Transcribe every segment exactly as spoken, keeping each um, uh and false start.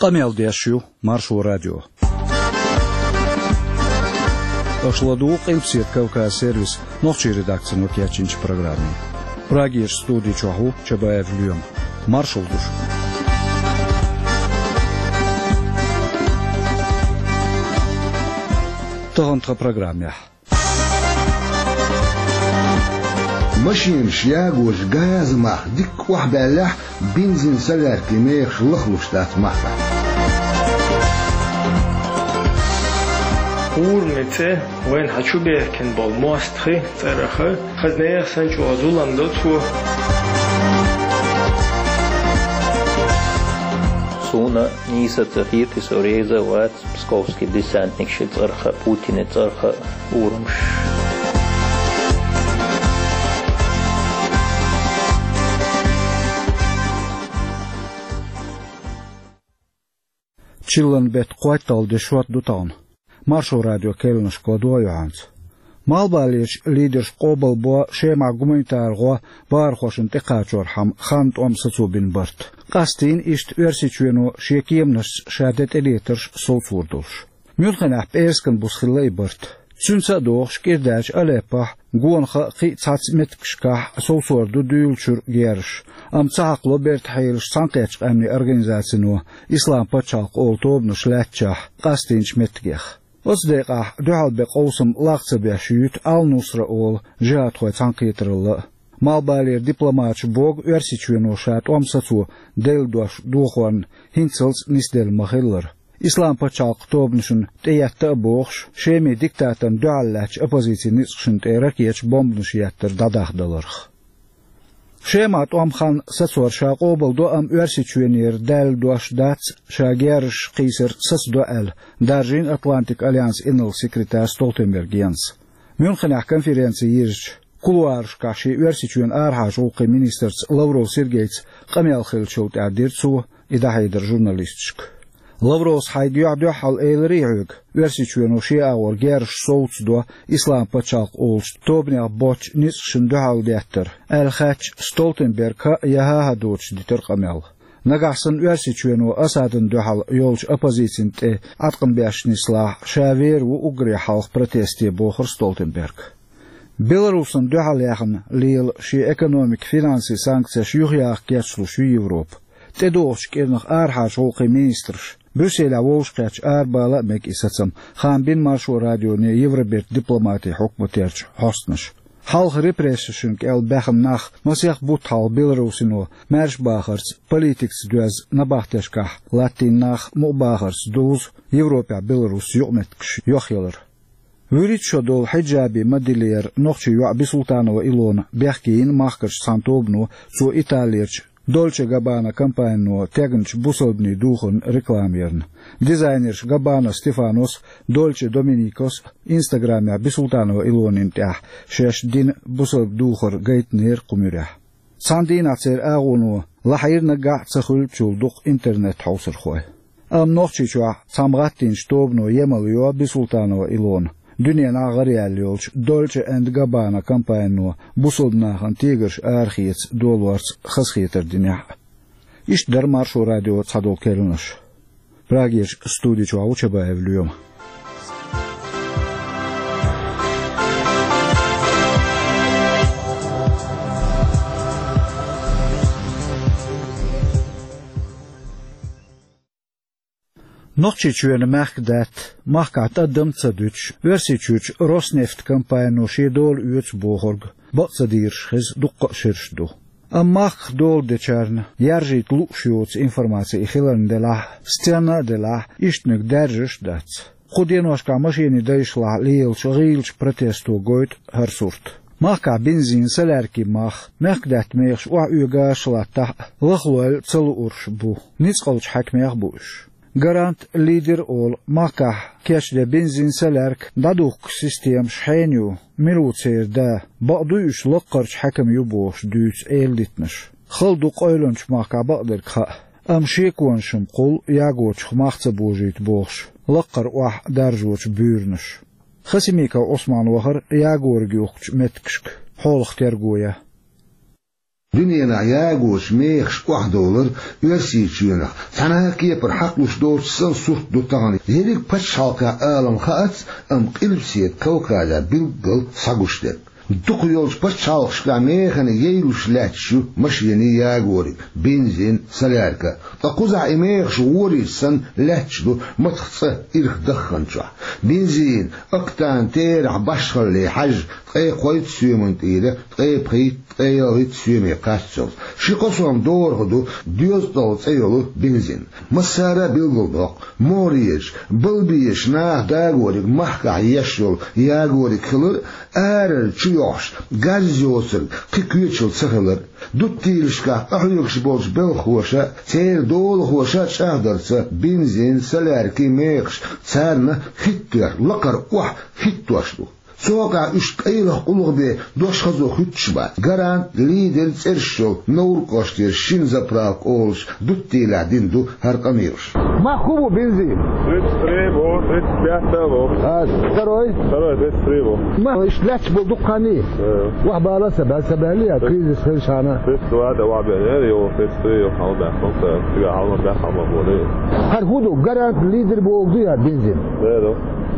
Къамел деш ю Маршо радио. Аша ладугӀу Къилбаседа Кавказ сервисан нохчийн редакцино кечйинчу программе. Прагерчу студи чохь ву Чабаев Лоьма. Маршалла ду шуьга. Тахана тхан программехь. Машенаш ягош газан мах дикка охьабаьллехь, бензин, соляркин мехаш лахлуш дац махкахь. Ураман цӀе вайна хьан чу бехкина болу мостагӀий цӀарах, хаза нехан санна чӀогӀа зулам до цо. Суна нийса ца хета, со реза вац. Псковский десантник ши цӀарах, Путина цӀарах урамаш. Чиллан беттан кхойтталгӀа де шот ду тахана. Маршо радио керланашка ладогӀа ю хьоьца. Малхбалерчу лидерша къобалбо Шемахь гуманитар гӀо бахархошна тӀекхачорхьама хан тӀом сацо бина барт. Къастийна иштта Оьрсийчоьно шен кеманашца ша де тӀелетарш совцор долуш. Мюнхенехь пӀераскан буса хилла и барт. Цуьнца а догӀуш, кӀирдаьллачу Алеппохь, гонах а, кхин а цхьацца меттигашкахь совцор ду дуьйлачуьра герзаш, амма ца хьакхало бертан хьелаш Цхьаьнакхеттачу Къаьмнийн Организацино Ислам пачхьалкх олу тобанаш лаьттачохь къастийначу меттигех. Оцу декъехь дуьхьал бен къовсам лакха ца беш юьту Ал-Нусра олу жихӀадхойн цхьаьнакхетаралла а. Малхбалера дипломаташа боху Оьрсийчоьно ша тӀом сацо делла дош дохорна хӀинццалц нисделла ма-хиллара. Ислам пачхьалкх тобанашна тӀеетта а бохуш, Шеман диктаторна дуьхьал лаьттачу оппозицин ницкъашна тӀе ракеташ, бомбанаш еттар дӀадахдаларх. Шемахь тӀом хан сацор ша къобалдо, амма Оьрсийчоьнера даьлла дош дац ша герзаш кхийсар сацадо аьлла, даржийна Атлантикан альянсан инарла-секретарь Столтенберг Йенс. Мюнхенехь конференци йирзича, кулуарашкахь шен Оьрсийчоьнан арахьарчу гӀуллакхийн министрца Лавров Сергейца къамел хиллачул тӀаьхьа дира цо и дӀахьедар журналисташка. Лавровс хьайга юьхь-дуьхьал элирий хьоьга, Оьрсийчоьно шен агӀор герзаш совцадо Ислам пачхьалкх олучу тобанех боцчу ницкъашна дуьхьал деттар, аьлла хаьттича, Столтенберга хӀаъ я хӀан-хӀа доцуш дитира къамел. Нагахь санна Оьрсийчоьно Асадна дуьхьал йолчу оппозицина тӀе Ӏаткъам беш нислахь, ша вер ву уггаре хьалха протесте, бохура Столтенберга. Беларусна дуьхьал яьхна лела шен экономикан, финансийн санкцеш юхаяха кечлуш ю Европа. ТӀедогӀучу кӀирнах арахьарчу гӀуллакхийн министраша Брюсселехь вовшахкхетча арабала а мега и сацам, хаам бина Маршо радионе Евробертан дипломатийн хьукматерчу хьостанаша. Хьалха репрессешна кӀел баьхна нах масех бутт хьалха Беларусино маьрша бахарца, политикаца доьзна набахтешкахь латтийна нах мукъа бахарца дузу Европехь Беларусца юкъаметтигаш йохъялар. ВуьрхӀитта шо долу хьиджаби ма-диллара нохчийн йоӀ Бисултанова Илона бехке йина махкарчу цхьана тобано, цо Италерчу Дольче Габбана компанино тегначу бусалбанийн духарна реклама ярна. Дизайнерша Габбана Стефанос, Дольче Доминикос Инстаграмехь Бисултанова Илонина тӀехь шаьш дина бусалба духар гайтинера кху муьрехь. Цхьана дийнахь церан агӀоно лахьийра наггахь а ца хуьлучул дукха интернет хьовсархой. Амма Нохчийчохь цхьамма гӀаттийначу тобано емал йо Бисултанова Илона дуьненахь гӀараяьлла йолчу Дольче энд Габбана компанино бусалба нахана тегарш арахеца долорца хазахетар динехь а. Иштта дара Маршо радион цхьадолу керланаш. Прагерчу студи чохь ву Чабаев Лоьма. Нохчийчоьнан мехкдаьтта, махкахь тӀадам ца дуьтуш, Оьрсийчуьрчу Роснефть компанино шен дола оьцу бохург бакъ ца дийраш хеза дуккха а шераш ду. Амма махках дола дечарна яржийта лууш йоцу информаци и хиларна делахь а, стенна а делахь а, ишттаниг даьржаш а дац. Кху деношкахь машенийн дайшлахь лелачу гӀийлачу протесто гойту хӀара сурт. Махкахь бензин, соляркин мах, мехкдаьтта мехаш охьаоьгуш латтахь а, лахлойла ца луурш бу, ницкъалчу хьаькамех а бу уьш. Гарант, Лидер олу махкахь кечден бензин, солярка дӀадухкучу системаш хьенан ю, мила ву церан да, бакъ дуй уьш лаккхарчу хьаькаман ю бохуш дуьйцу эладитанаш. Хала ду къевлинчу махкахь бакъдерг хаа, амма шеконаш-м кхул ягочух мах ца божийта бохуш, лаккхара охьа даржочу буьйранаш. Хасимиков Ӏусман вахара ягориг юхкучу меттигашка, хьолах терго ян. Дуьненахь ягочу мехаш охьадовлар Оьрсийчоьнах цхьана а кепара хьакхалуш доцуш санна сурт ду тахана. Ерриг пачхьалкхан алам хаац, амма Къилбаседа Кавказехь билггал схьагуш дерг. Дукха йолчу пачхьалкхашкахь механа яйлуш лаьтташ ю машенийн ягориг, бензин, солярка. Ткъа кхузахь и мехаш гӀорийча санна лаьтташ ду мацах цӀа ирх дахханчохь. Бензин, октан терахь башхалле хьаьжжа, ткъе кхойтта соьман тӀера, ткъе пхийтта, ткъе ялхитта соьме кхаччалц. Ши-кхо сом дорах ду доьзткъалгӀа цӀе йолу бензин. Массара а билгалдоккху, могӀарерчу, балбезачу наха дагориг махкахь еш йолу ягориг хилар, арара чу йохьуш, газ йоцург кхин коьчал ца хилар. Дуттийлашкахь къахьоьгуш болчу белхахоша а, церан долахоша а чӀагӀдарца, бензин, соляркин мехаш царна хӀиттош, лакхара охьа хӀиттош ду. Цу хьокъехь уьш кӀайлах къулгӀа бен дош хазо хӀуьттуш бац. Гарант, Лидер цӀераш йолу Новр кӀоштера шина заправка олуш дуттийлахь дина ду хӀара къамелаш. Мах хӀун бу бензин? Тридцать три бу, тридцать пять бу. А второй? Второй тридцать три бу. Мах иштта лаьтташ болу дуккха хан ю? Э. Охьабала сан баьлла, сан баьлла я, кризис хилчахьана. Тридцать два да охьабаьлла, я, йо, тридцать три йо, хьалабаьхна, ца, цига хьалабаьхна ма бу. ХӀара хӀун ду, Гарант, Лидер бохург ду я бензин? Да, да.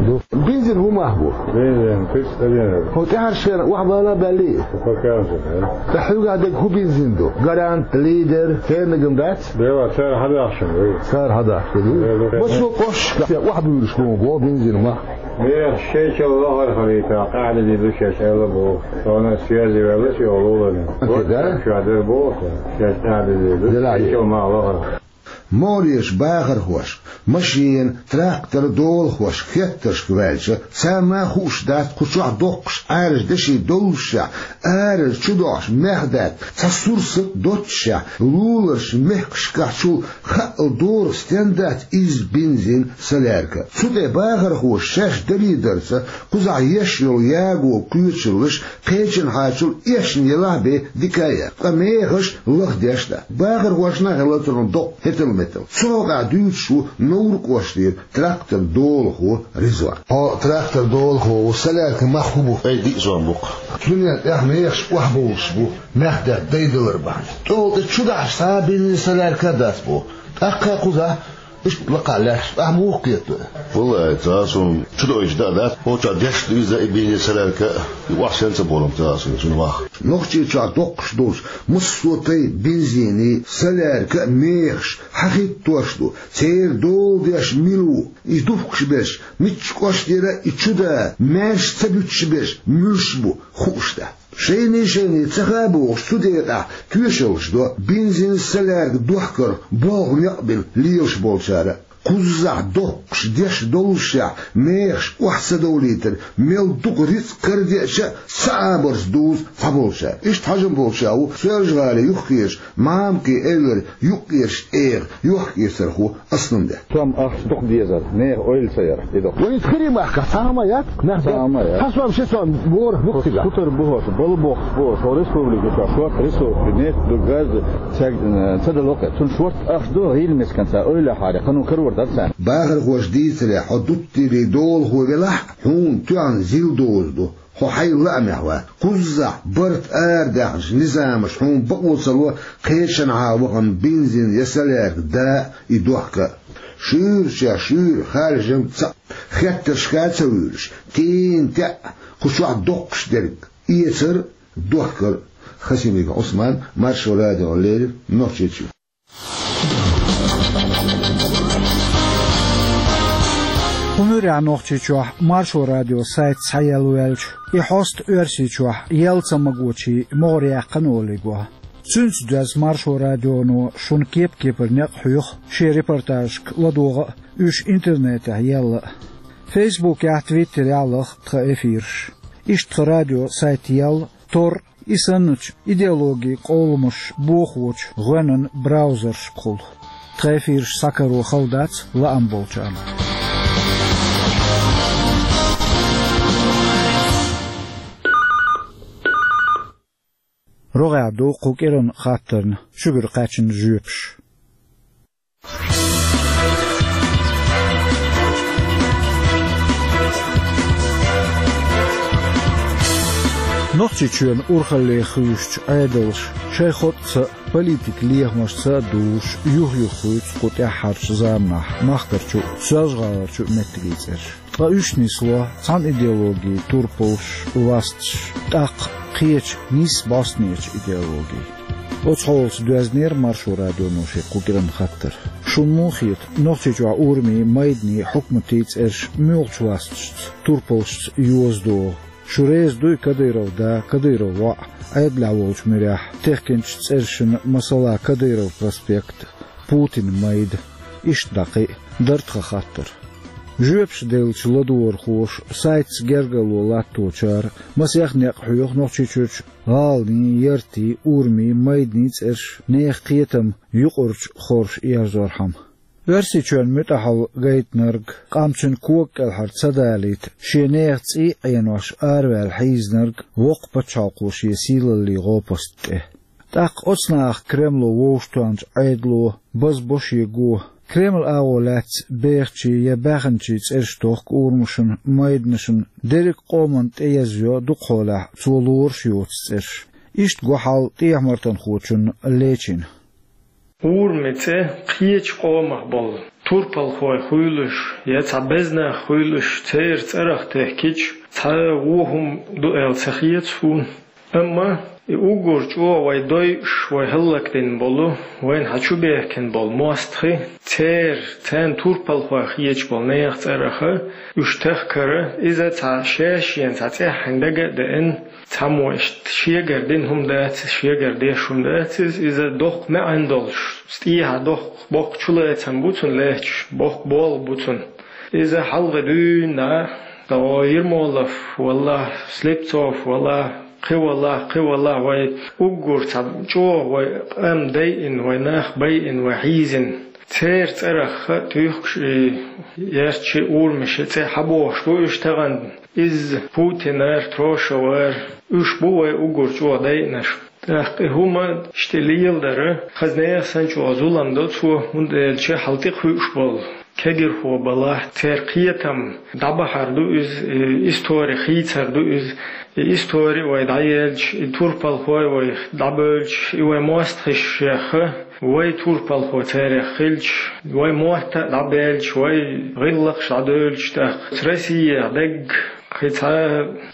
Ду. Бензин хӀун мах бу? Бензин, тридцать один. ХӀо тӀаьхьарчу шена охьабала баьллий? Пока уже, да. Ткъа хьоьгахь дерг хӀун бензин ду? Гарант, Лидер, церниг-м дац? Дела, цара хьадахча ду. Цара хьадахча ду? Э, да. Массо а кӀошташкахь охьабуьйлуш хӀун бу бензин мах? Мех шайчалла лахара хилийта, къаьхьа дезийла шаьш аьлла боху. Тхуна связи ваьлла ши олу ларна. Окей, да? Ша дер боху, шаьш къаьхьа дезийла. Дела, шайчалла мах лахара. МогӀарерчу бахархошка, машена, трактор долахошка хеттаршка ваьлча, царна а хууш дац кху чохь доккхуш Ӏаьржа деши доллушехь, арара чу дохьуш мех даьтта, цхьа сурсат доццушехь, луларчу мехкашкахьчул хаъал дорах стен дац изза бензин, солярка. Цу тӀе бахархоша шаьш дарийдарца, кхузахь еш йолу яго кхечаллаш кхечанхьачул эшна елахь бен дика а яц, ткъа мехаш лахдеш дац. Бахархошна а хилла цунах доккха хӀетал-метал. Цу хьокъехь дуьйцуш ву Новр кӀоштера трактор долахо Ризван. Хьо трактор долахо ву, солярка мах хӀун бу? Ай, диъ сом бу-кх. Цундела тӀехь мехаш охьабовлуш бу, мех даьтта дайдалар бахьана. ТӀехула тӀе чу дахьаш цхьа а бензин, солярка а дац боху. ТӀаккха а кхузахь Иштта лакхахь лаьтташ ахь муха кхетадо? Валлай, цкъа а суна чу дойчу дан а дац, кхоччехь деш а ду иза, и бензин, солярка а, и охьа сенца болу-м цкъа а суна, цуьнан мах. Нохчийчохь доккхуш долчу массо а тайпа бензиний, солярка а мехаш хьахӀиттош ду, церан дола деш мила ву, и духкуш берш, миччу кӀоштера и чу да, маьрша ца буьтуш берш муьлш бу, хууш дац. Шайний-шайний ца хаьа бохуш, цу декъехь тоьшаллаш до бензин, солярка дохкарх болх некъ бина лелаш болчара. Кхуззахь доккхуш деш доллушехь, мехаш охьа ца довлийтар, мел дукха рицкъ карадеача а, ца Ӏабарца дузу цхьаболчара. Иштта хьажам болча ву Соьлжа-ГӀалин юххерчу Мамакин эвлара юккъерчу тӀегӀан йохк-эцархо Асланбек. Сом ахча дукха дезара, нехан ойла ца яра, и ду. Вай хӀинца хире махкахь цхьа хӀума яц? Цхьа хӀума яц. Цхьа сом, ши сом ворах ду-кх цигахь. Хутар бу хӀорш, бала бохуш бу хӀорш, хӀо республика чохь шорта ресурс, нефть ду, газ ду, цаьрга, э, ца дало кхе. Цунна шорта ахча ду, гӀийла мисканца ойла хьаре, кхано карор дара царна. Бахархоша дийцаре, хьо дуттийли долахо велахь, хьуна тоьхна зил доза ду. Хьо хьайн лаамехь вац. Кхуззахь барт арадаьхначу низамаша хьуна бакъо ца ло кхечанхьа вахана бензин я солярка да а, и дохка а. Шуьйрачех шуьйра харжам цхьаъ, хеттаршка а ца вуьйлуш, тийна теӀ кху чохь доккхуш дерг, эцар а, дохкар а. Хасимиков Ӏусман, Маршо радиона леррина, Нохчийчоь. Кху муьрехь Нохчийчохь Маршо радион сайт схьаелла ваьлча, и хьоста Оьрсийчохь яла ца магочийн могӀарехь кхана олий го. Цуьнца доьзна Маршо радионо шуна кеп-кепара некъ хьоьху шен репортажашка ладогӀа а, уьш интернетехь елла а. Фейсбукехь, твиттерехь лаха тхан эфираш. Иштта тхан радион сайт елла, тор И санначу идеологин къовламаш бохочу гӀоьнан браузершкахула. Тхан эфираш схьакаро хала дац лаам болчарна. РогӀехь ду кху кӀиранан хаттарна шуьгара кхаьчна жоьпаш. Нохчийчоьнан урхалле хуьйшучу Ӏедалша шайн хотӀаца а, политикан лехамашца а дузуш, юх-юха хуьйцу кху тӀаьххьарчу заманахь махкарчу а, соьлжа-гӀаларчу а меттигийн цӀераш. Ткъа уьш нисло цхьана идеологин турпалш, ласташ, тӀаккха кхечу нийсса бӀостанечу идеологин. Оцу хьолаца доьзнера Маршо радионо шен кху кӀиранан хаттар. Шуна муха хета, Нохчийчохь урамийн, майданийн, хьукматийн цӀераш муьлхачу ласташца, турпалшца йоза догӀу? Шу реза дуй Кадыров да, Кадыров воӀ Ӏедалехь волчу муьрехь техкинчу цӀерашна, масала, Кадыров проспект, Путин майда, иштта дӀа кхин а, дара тхан хаттар. Жоьпаш деллачу ладогӀархоша, сайтаца гергарло латточара, масех некъ хьоьху Нохчийчуьрчу гӀаланийн, яртийн, урамийн, майданийн цӀераш, нехан кхетам юкъарчу хорша ерзорхьама. Оьрсийчоьнна муьтӀахь хила гайтинарг, къам цуьнан кога кӀелхьара ца далийта, шен нехан цӀий а Ӏенош араваьлла хьийзинарг воккха пачхьалкхо шен сийлаллин гӀопаст тӀе. ТӀаккха оцу нахах Кремло вовшахтоьхначу Ӏедало базбо шен го. Кремлан агӀо лаьцна бехачийн я баьхначийн цӀераш тохку урамашна, майданашна, дерриг а къоманна тӀеязйо дукхахьолехь цо лоруш йоцу цӀераш. Иштта го хьал тӀехьа-мартанхочунна Лечина. Урами цӀе кхечу къомах болу турпалхой хуьйлуш я цхьа беза нах хуьйлуш, церан цӀарах техкича, цхьа вон хӀума ду аьлла ца хета суна. Амма и уггар чӀогӀа вай дойуш, вай хӀаллакдина болу, вайна хьан чу бехкина болу мостагӀий, церан, царна турпалхой хеташ болу нехан цӀарах уьш тахкар, иза цхьа шаьш-шена цхьа цӀеххьана дага а деана, цхьаммо иштта шегара дина хӀума дац иза, шегара деш хӀума дац иза, иза доккха маьӀна долуш, стӀехьа доккха боккха чулацам бу цунна лаьтташ, боккха болх бу цунна. Иза хьалха дуьйна, о, Ермолов валахь, Слепцов валахь, кхин валахь, кхин валахь, вай уггар цхьа чӀогӀа вай къам дайина, вай нах байина, вай хьийзина. Церан цӀарах а туьйхкуш и ярташи урамаши цӀе хьабохуш бу уьш тахана. Иза Путинара, Трошевара, уьш бу вай уггар чӀогӀа дайинарш. ТӀаккха и хӀума иштта леладара, хаза нехан санна чӀогӀа зулам до цо, хӀунда аьлча хьал тӀекхуьуш болу кегирхо балахь, церан кхетам дӀабахьар ду иза, и истори хийцар ду иза. И истори вай дӀаелча, и турпалхой вай дӀабевлча, и вай мостагӀий шех, вай турпалхо царех хилча, вай мотт а дӀабаьлча, вай гӀиллакхаш дӀадевлча, тӀаккха Россия дегга кхин цхьа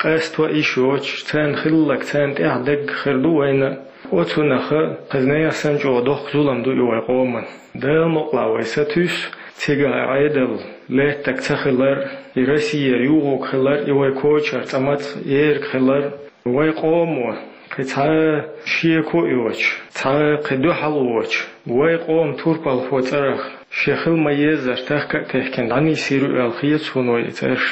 къасто а йиш йоцуш, царна хилларг царна тӀехь дегга хир ду вайна. Оцунах а хаза нехан санна чӀогӀа доккха зулам ду и вай къоман. Дала мукъалахь вай сатуьйсу, цигахь Ӏедал лаьттаг ца хилар, и Россияра юхуг хилар, и вай кочара цӀа мацах ерг хилар. Вай къомо кхин цхьа шеко а йоцуш, цхьа кхин дуьхьал воцуш, вай къоман турпалхо цӀарах шен хила ма-еззара тахка а техкина дӀанисйийр ю аьлла хета суна вай и цӀераш.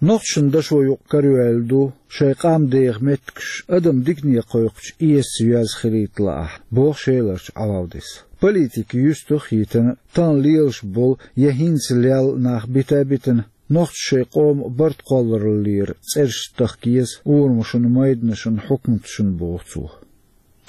Нохчашна дашо юкъа карайоьлла ду, шайн къам деха меттигаш адам дикане кхойкхучу эсаца йоьзна хилийта лаахь, боху Шеларчу Ӏалавдис. Политика юьстах а йитина, тахана лелаш болу я хӀинца лелла нах бита а битина, нохчаша шайн къоман барт кхоллараллера цӀераш тахка еза урамашна, майданашна, хьукматашна, боху цо.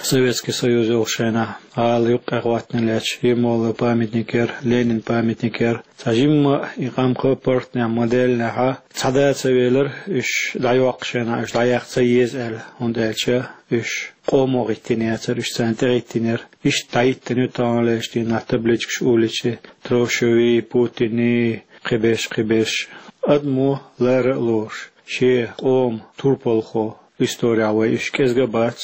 Советский Союз йолу шайнахь, гӀала юккъе хӀоттийна лаьтташ, Ермоловн памятник яра, Ленинан памятник яра. Цхьа жимма а и къам кху паргӀатнехь ма-деллинехь, цхьа да ца велира, уьш дӀайоккху шайнахь, уьш дӀаяккха ца еза аьлла, хӀунда аьлча уьш къомо гӀиттийна яцара, уьш царна тӀегӀиттийнера. Иштта дӀахӀиттина ю таханлерчу дийнахь табличкаш уличи, Трошевий, Путиний, кхиберш, кхиберш. Адамо лара а лоруш, шен къоман турпалхо исторехь вай уьш кӀезга а бац.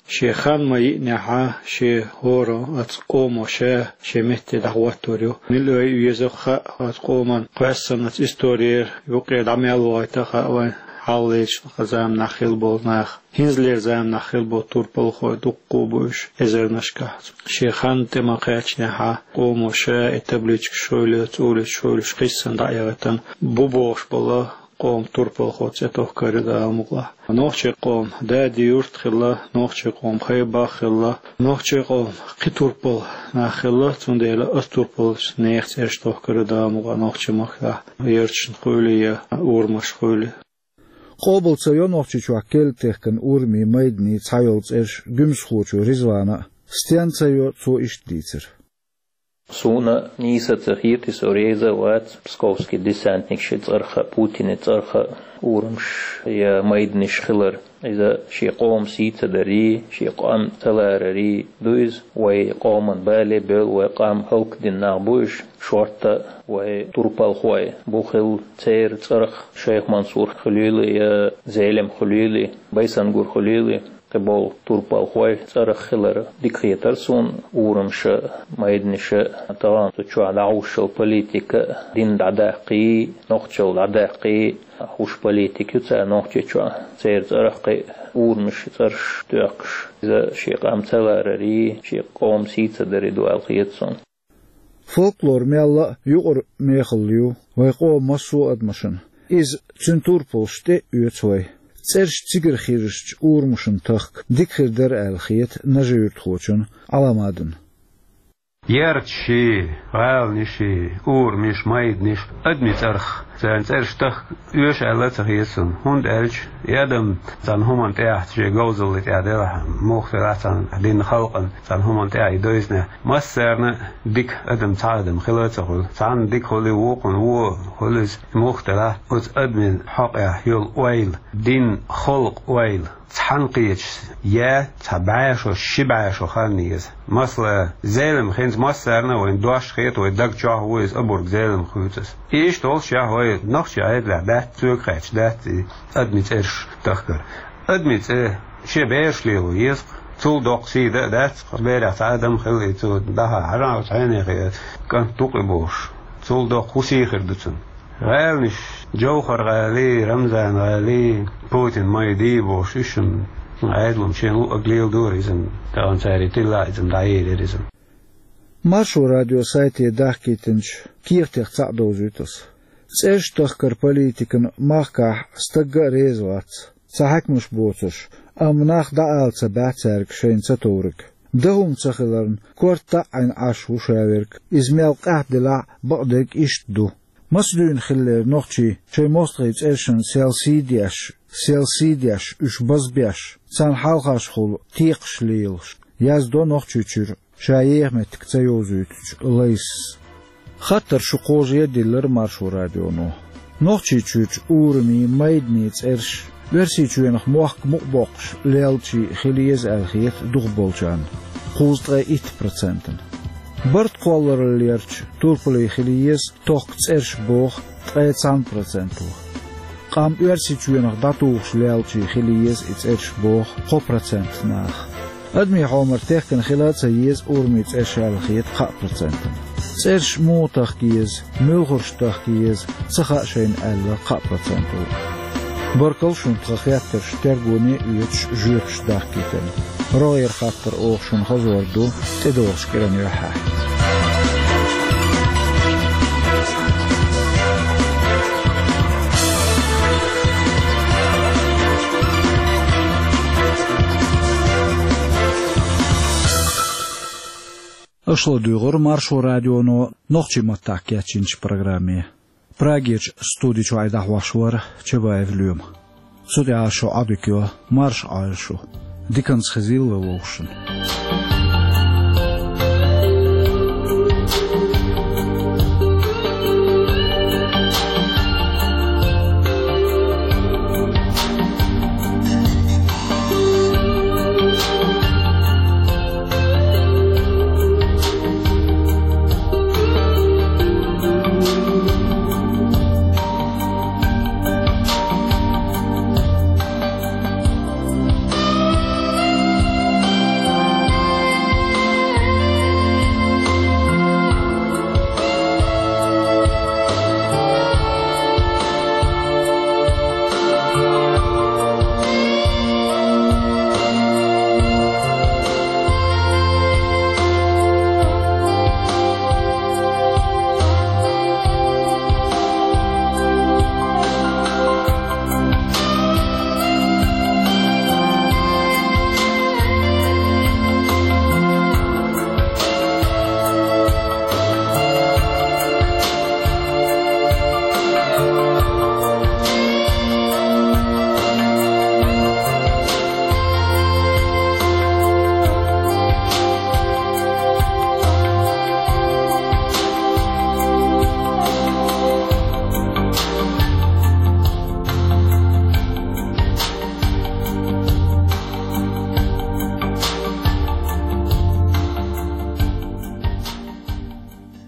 Шен хан ма-йиънехь, шен хӀора оцу къомо ша шен метте дӀахӀоттор ю. Мила вай веза хаьа оцу къоман кхоьссина оцу исторера, юккъера дӀа мел вахийта хаьа вайн хьалхалерчу заманахь хилла болу нах. ХӀинцалера заманахь хилла болу турпалхой дуккха а бу уьш эзарнашкахь. Шен хан тӀе ма-кхаьчнехь, къомо ша и табличкаш хуьлуш, цӀуличаш хуьлуш, кхиссина дӀа а яхийтина, бу бохуш болу къоман турпалхо цӀе тохкар ю Дала мукъалахь. Нохчийн къоман дади-юрт хилла, нохчийн къоман хай-бах хилла, нохчийн къоман кхин турпал нах хилла, цундела оцу турпалчу нехан цӀераш тохкар ю Дала мукъалахь нохчийн махкахь, ярташна хуьлий я урамашна хуьлий. Къобал ца йо Нохчийчохь керла техкина урамийн, майданийн цхьайолу цӀераш Гуьмсахочо Ризвана а, стенна ца йо, цо иштта дийцира. Суна нийса ца хетий, со реза вац псковский десантникаш цӀерах, Путина цӀерах урамаш я майданаш хилар. Иза ший къоман сий ца дари, ший къам ца ларари ду иза. Вай къоман бале а бевлла, вай къам хӀалакдина нах бу уж, шортта вай турпалхой бу хилла церан цӀерах, Шайх Мансур хилийла я Зелимха хилийла, Байсангур хилийла. Кхыболу турпалхой цӀерах хилар дика хетара суна, урамаш а, майданаш а, тахана цу чохь дӀахьуш йолу политика а, дин дӀадаккхий, нохчалла дӀадаккхий, хӀуш политика ю цара Нохчийчохь, церан цӀерах кхин а урамаш, цӀераш тоьхкуш, иза ший къам ца ларари, ший къоман сий ца дари ду аьлла хета суна. Фольклор мелла а юкъара мехалла ю вай къоман массо а адамашна. Иза, цуьнан турпалш тӀе а оьцу вай. ЦӀераш цигара хирзинчу урамашна тахка дика хир дара аьлла хета нажи-юьртахочунна Ӏаламадина. Ярташи, гӀаланаши, урамаш, майданаш адамийн цӀерах, царна цӀераш тахка оьшу аьлла а ца хета суна, хӀунда аьлча и адам цхьана хӀуманна тӀехь, шен говзалла тӀехь делахь, муха делахь, цхьана динан халкъана цхьана хӀуманна тӀехь и дойзинехь, массарна а дика адам цхьа адам хила а ца хуьлу. Цхьанна дика хуьлу, вукхунна вон хуьлу иза, муха делахь, оцу адамийн хьокъехь йолу ойла, динан халкъан ойла цхьаьна кхеташ, я цхьа бӀе шо, ши бӀе шо хан еза. Масала, Зелимха хӀинца массарна а вайн дош хета, вай даг чохь ву иза, обарг Зелимха хуьйцу аса. Иштта волушшехь вай нохчийн Ӏедалехь дац, соьга хаьттича дац и адамийн цӀераш тахкар. Адамийн цӀе шен бераш лело еза-кх, цул доккха сий дан а дац-кх, берех цхьа адам хила и цо дӀахьа хьажахь оцу хьенех, кӀант ду-кх и бохуш. Цул доккха хӀун сий хир ду цунна? ГӀаланаш, Джовхар-гӀалий, Рамзан-гӀалий, Путин-майдий бохуш, уьш-м Ӏедалан шен луъург леладора иза-м, тахана цара тиллехь иза-м дӀаелира иза-м. Маршо радион сайте дахкийтинчу кехатех цхьаъ довзуьйту аса. ЦӀераш тахкаран политикана махкахь стагга а реза вац, цхьа хьаькамаш боцурш, амма нах дӀаала ца баьхьа цаьрга шайна ца товриг. Дан хӀума ца хиларна, корта таӀийна Ӏаш ву ша верг, иза мел къаьхьа делахь а, бакъдерг иштта ду. Маца дуьйна хиллера нохчий шайн мостагӀийн цӀерашна сел сий деш, сел сий деш, уьш базбеш, царна хьалхашхула текхаш лелаш, яздо Нохчийчуьра ша еха меттиг ца йовзуьйтучу Лайсас. Хаттар шу кхожа а диллира Маршо радионо. Нохчийчуьрчу урамийн, майданийн цӀераш Оьрсийчоьнах мохк мукъа боккхуш леллачий хила еза аьлла хета дукхахболчарна, кхузткъе итт процентана. Барт кхоллараллерчу турпалий хила еза тохка цӀераш боху ткъе цхьана проценто. Къам Оьрсийчоьнах дӀатухуш леллачий хила еза и цӀераш боху кхо процент наха. Адамийн хьомар техкина хила а ца еза урамийн цӀераш аьлла хета кхаа процентана. ЦӀераш муха тахка еза, муьлхарш тахка еза, ца хаьа шайна аьлла кхаа проценто. Баркалла шуна тхан хеттарш тергоне а оьцуш жоьпаш дахкийтарна. РогӀера хаттар оха шуна хазор ду тӀедогӀучу кӀиран юьххьехь. Аша ладуьйгӀура Маршо радионо нохчийн маттахь кечйинчу программе. Прагерчу студи чуьра дӀахьош вара Чабаев Лоьма. Цу тӀехь шун Ӏодика йо, марша Ӏойла шу. Диканца хезийла вовшашна.